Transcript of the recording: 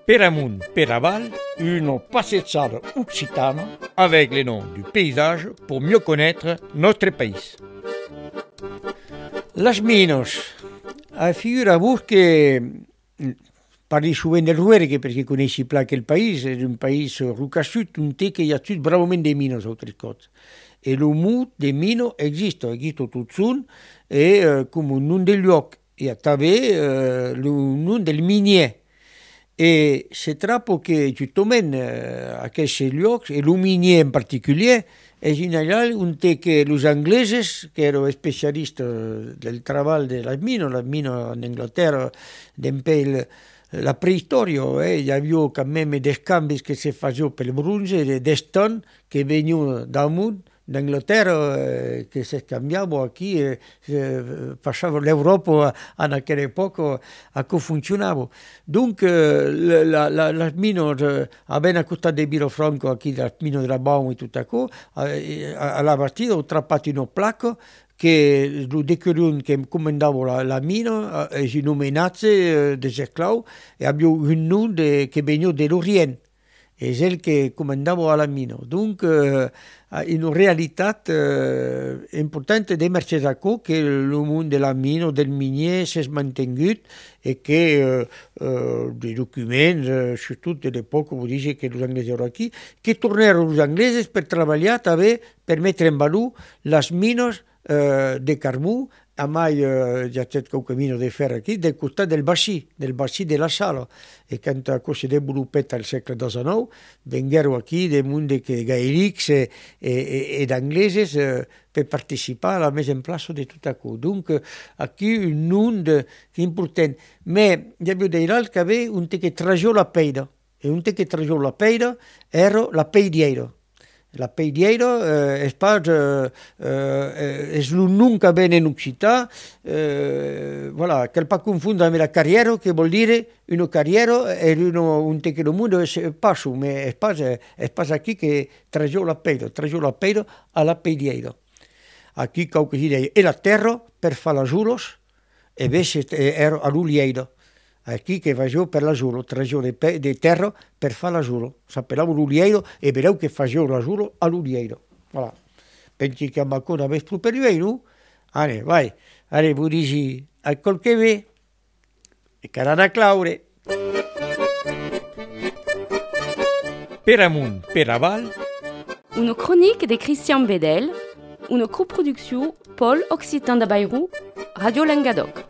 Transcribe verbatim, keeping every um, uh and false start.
Per amunt, per aval, une passeggiata occitane avec les noms du paysage pour mieux connaître notre pays. Las minos. Figura-vos que parli sovint del Ruergue perché conosci pla quel paese, è un paese rucassut, un te che hi ha tut bravament de minos altres cose. E lo mut de mino esiste, esiste tot sun, e uh, come un nom del lloc, e a també uh, lo nom del minier. E se trappo che giustament uh, aquests llocs, e lo minier en particulier, è general un te che los angleses, che erano specialisti del treball de les mines, les mines en Anglaterra, d'empè la prehistoria, eh, hi havia quand même des canvis que se facevano per il bronze, des tonnes che venivano damunt d'Anglaterra, eh, che si scambiavano qui, eh, eh, passava l'Europa en aquella epoca a come funzionava. Dunque, la, la, le mine, eh, avevano accostato di Vilafranco, qui, le mine della Baum e tutto ciò, eh, alla partita ho trappato una placca che il decurion che comandava la, la mina è eh, nominato eh, des esclaus e abbiamo un nome che veniva dell'Orient. È il che comandava la mina. Dunque, eh, in realtà eh, è importante di emergere che il mondo della mina, del minier, si è mantenuto e che eh, eh, dei documenti, eh, soprattutto all'epoca, vuol dire che gli inglesi erano qui, che tornarono gli inglesi per lavorare per mettere in valore le mine Uh, de carbù, a mai uh, già c'è qualche mino di ferro qui, del costat del bassi, del bassi della sala. E quando si è sviluppata al secolo diciannove, vennero qui dei mondi che gaelics e, e, ed inglesi uh, per partecipare alla messa in place di tutto ciò. Dunque, qui un nome importante. Ma devo dire che aveva un te che traggiò la peida, e un te che traggiò la peida era la peidiera. La peidiera eh, è, eh, eh, è un nome che viene in Occità, eh, voilà, che non confondere con la carriera, che vuol dire una carriera è uno, un te che il mondo è passo, ma è passo, è passo qui che traggiò la peida, traggiò la peida alla peidiera. Qui qualche si dice, e la terra per fare la giulos, e invece era all'uliera. Qui che faceva per la giuro, traggiò di terra per fare la giuro. S'appellava l'uliero e vedeu che faceva la giuro all'uliero. Voilà. Pensi che ancora avesse più per lui, no? Allora, vai. Allora, voi dici, al col che ve, e carana claure. Per amunt, per aval. Une chronique de Christian Bedel, une coproduction Pôle Occitan de Bayrou, Radio Languedoc.